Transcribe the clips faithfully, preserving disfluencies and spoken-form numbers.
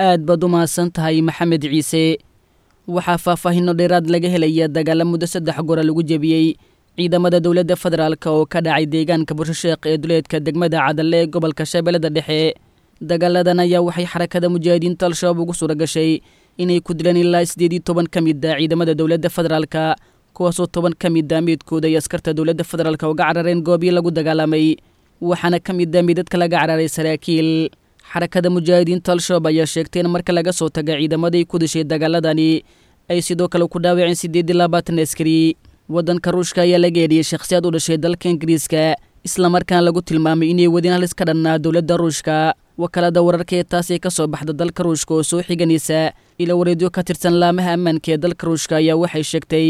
Aad baad u mahadsan tahay, Maxamed Ciise. Waxaa faahfaahinno dheeraad laga helaya dagaala muddo saddex gora lagu jebiyey ciidamada dowladda federaalk oo ka dhacay deegaanka Burshisheekh ee duleedka degmada Cadalle ee gobolka Shabeellada Dhexe. Dagaaladan ayaa waxay Xarakada Mujaahidiinta Al-Shabaab ugu suura gashay inay ku dileen ilaa siddeed iyo toban ka mid a ciidamada dowladda federaalka, kuwaasoo toban ka mid a meydkooda ay askarta dowladda federaalk uga carareen goobii lagu dagaalamay, waxaana ka mid a meydadka laga cararay saraakiil. Xarakada Mujaahidiinta Al-Shabaab ayaa sheegtay in marka laga soo taga ciidamaday ku dishay dagaaladani ay sidoo kale ku dhaawaceen siddeed iyo labaatan askari. Waddanka Ruushka ayaa laga eedhiyey shakhsiyaad u dhashay dalka Ingiriiska, islamarkaana lagu tilmaamay inay wadeen halis ka dhannaa dowladda Ruushka. Wakaalada wararka ee taasi ka soo baxda dalka Ruushka oo soo xiganaysa ila wareedyo ka tirsan laamaha ammaanka ee dalka Ruushka ayaa waxay sheegtay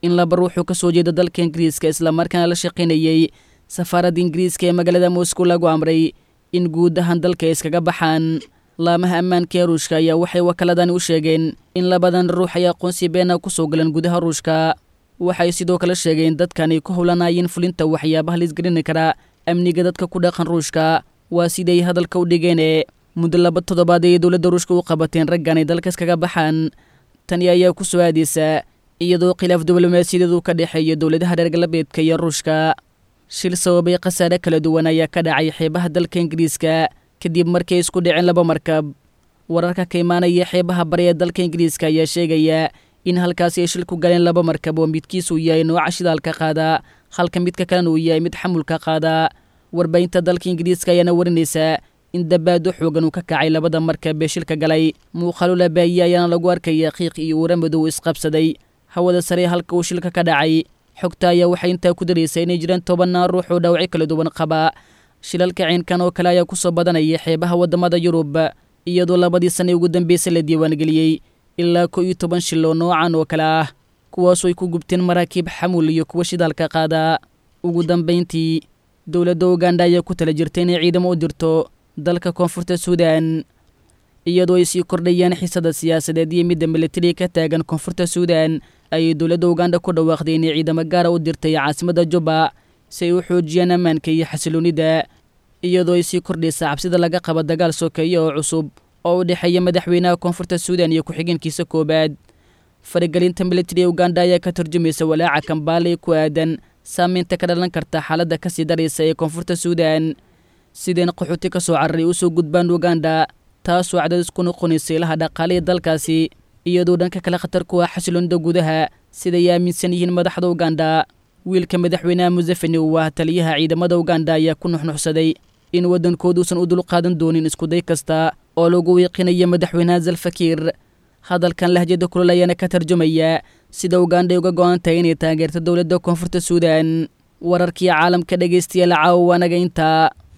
in laba ruuxuu ka soo jeeda dalka Ingiriiska, islamarkaana la shaqaynayey safaaradda Ingiriiska ee magaalada Moscow, lagu amray in guud ahaan dalka ay iskaga baxaan. Laamaha ammaanka ee Ruushka ayaa waxay wakaaladani u sheegeen in labadan ruux ay aqoonsi beena ku soo galeen gudaha Ruushka. Waxay sidoo kale sheegeen dadkan ay ku howlanaayeen fulinta waxyaabaha laisgelini karaa amniga dadka ku dhaqan Ruushka, waa siday hadalka u dhigeene. Muddo laba toddobaad ayay dowladda Ruushka u qabateen raggan ay dalka iskaga baxaan. Tani ayaa ku soo aadaysa iyadoo khilaaf diblomaasiyadeed uu ka dhexeeya dowladaha reer galbeedka iyo Ruushka. Shil sababay khasaare kala duwan ayaa ka dhacay xeebaha dalka Ingiriiska kadib markay isku dhaceen laba markab. Wararka ka imaanaya xeebaha bari ee dalka Ingiriiska ayaa sheegaya in halkaasi ay shil ku galeen laba markab oo midkiisu yahay nooca shidaalka qaada, halka midka kalena uu yahay mid xamulka qaada. Warbaahinta dalka Ingiriiska ayaana warinaysa in dabaado xoogan uu ka kacay labada markab ee shilka galay. Muuqaalo labaaye ayaana lagu arkaya qiiq iyo uura madow isqabsaday hawada sare halka uu shilka ka dhacay. Xogta ayaa waxay intaa ku daraysaa inay jiraan tobannaan ruux oo dhaawacyo kala duwan qaba. Shilalka ciinkan oo kale ayaa ku soo badanaya xeebaha waddamada Yurub, iyadoo labadii sane ugu dambeysay la diiwaangeliyey ilaa kow iyo toban shil oo noocan oo kale ah, kuwaasoo ay ku gubteen maraakiib xamuul iyo kuwa shidaalka qaada. Ugu dambayntii, dowladda Uganda ayaa ku tala jirtay inay ciidamo u dirto dalka Koonfurta Suudan, iyadoo ay sii kordhayaan xiisada siyaasadeed iyo midda militariga ka taagan Koonfurta Suudan. Ayay dowladda Uganda ku dhawaaqday inay ciidamo gaara u dirtay caasimadda Juba si ay u xoojiyaan ammaanka iyo xasiloonida, iyadoo ay sii kordhaysa cabsida laga qabo dagaal sokeeye oo cusub oo u dhexeeya madaxweynaha Koonfurta Suudan iyo ku-xigeenkiisa koowaad. Faragelinta militari ee Uganda ayaa ka turjumaysa walaaca Kambaale ee ku aadan saameynta ka dhalan karta xaaladda kasii daraysa ee Koonfurta Suudan, sideen qaxooti ka soo cararay usoo gudbaan Uganda, taasoo cadaadis ku noqonaysa ilaha dhaqaale ee dalkaasi, iyadoo dhanka kale khatar ku ah xasiloonida gudaha, siday aaminsan yihiin madaxda Uganda. Wiilka madaxweynaha Museveni uu ah taliyaha ciidamada Uganda ayaa ku nuxnuxsaday in waddankooduusan u dulqaadan doonin iskuday kasta oo lagu wiiqinayo madaxweynaha Zalfakiir. Hadalkan lahjada kulol ayaana ka tarjumaya sida Uganda ay uga go-an tahay inay taageerto dowladda Koonfurta Suudan. Wararkii caalamka, dhegaystayaal, caawa waanaga intaa.